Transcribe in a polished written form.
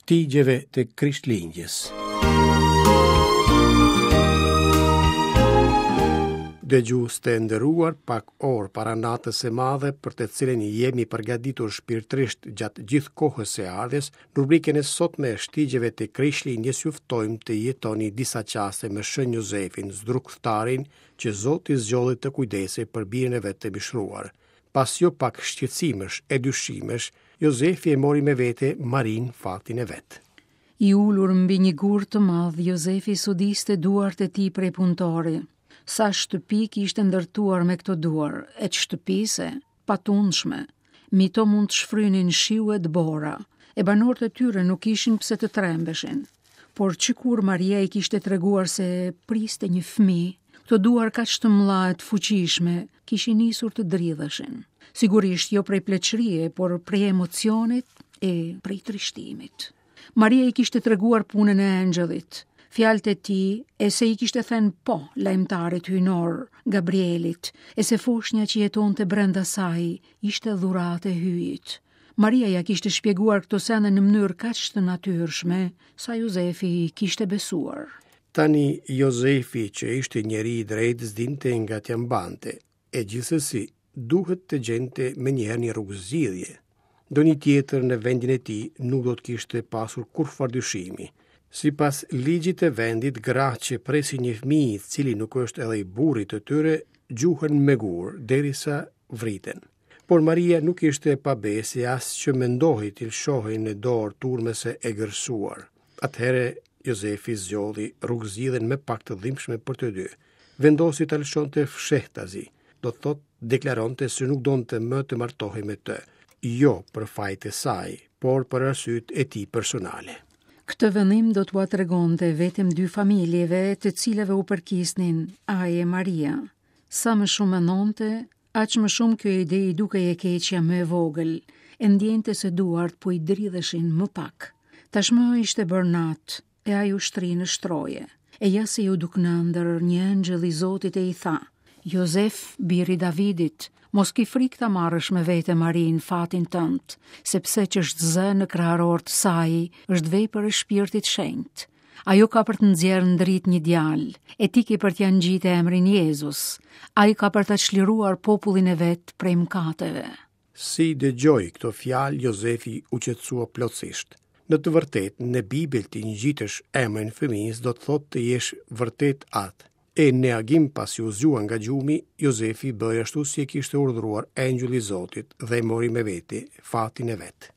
Shtigjeve të Krishtlindjes. Dëgjues të nderuar, pak orë para natës së madhe për të cilën jemi përgatitur shpirtërisht gjatë gjithë kohës së ardhjes, në rubrikën e sotme Shtigjeve të Krishtlindjes ju ftojmë të jetoni disa çaste me Shën Jozefin, zdrukthtarin që Zoti zgjodhi të kujdesej për birin e vet të mishëruar. Pas jo pak shqetësimesh e dyshimesh, Jozefi e mori me vete Marinë fatin e vet. I ulur mbi një gur të madh, Jozefi sodiste duart e tij prej punëtori. Sa shtëpi kishte ndërtuar me këto duar, e ç'shtëpi se, patundshme. Mbi to mund të shfrynin shiu e dëbora, e banorët e tyre nuk kishin pse të trembeshin. Por që kur Maria i kishte treguar se priste një fëmijë, këto duar kaq të mëdha e të fuqishme kishin nisur të dridheshin. Sigurisht jo prej pleqërie, por prej emocionit e prej trishtimit. Maria i kishte treguar punën e engjëllit, fjalët e tij e se i kishte thënë po lajmëtarit hyjnor, Gabrielit, e se foshnja që jetonte brenda saj ishte dhuratë e Hyjit. Maria ia kishte shpjeguar këto sende në mënyrë kaq të natyrshme, sa Jozefi i kishte besuar. Tani Jozefi, që ishte njeri i drejtë, s'dinte nga t'ia mbante, e gjithsesi duhet të gjente menjëherë një rrugëzgjidhje. Ndonjë tjetër në vendin e tij nuk do të kishte pasur kurrfarë dyshimi. Sipas ligjit të vendit, gratë që presin një fëmijë i cili nuk është edhe i burrit të tyre, gjuhen me gurë derisa vriten. Por Maria nuk ishte e pabesë e as që mendohej të lëshohej në dorë turmës së egërsuar. Atëherë Jozefi zgjodhi rrugëzgjidhjen më pak të dhimbshme për të dy. Vendosi ta lëshonte fshehtazi, do të thotë deklaronte se nuk donte më të martohej me të, jo për faj të saj, por për arsyet e tij personale. Këtë vendim do t'ua tregonte vetëm dy familjeve të cilave u përkisnin ai e Maria. Sa më shumë mendonte, aq më shumë kjo ide i dukej e keqja më e vogël, e ndjente se duart po i dridheshin më pak. Tashmë ishte bërë natë, e ai u shtri në shtroje. E ja se iu duk në ëndërr një engjëll i Zotit e i tha, Jozef, bir i Davidit, mos ki frikë ta marrësh me vete Marinë, fatin tënd, sepse ç'është zënë në kraharor të saj është vepër e Shpirtit Shenjt. Ajo ka për të nxjerrë në dritë një djalë, e ti ke për t'ia ngjitë emrin Jezus. Ai ka për ta çliruar popullin e vet prej mëkateve. Si i dëgjoi këto fjalë, Jozefi u qetësua plotësisht. Në të vërtetë, në Bibël t'i ngjitësh emrin fëmijës do të thotë të jesh vërtet atë. E në agim pasi u zgjua nga gjumi, Jozefi bëri ashtu si e kishte urdhëruar engjëlli i Zotit dhe e mori me vete fatin e vet.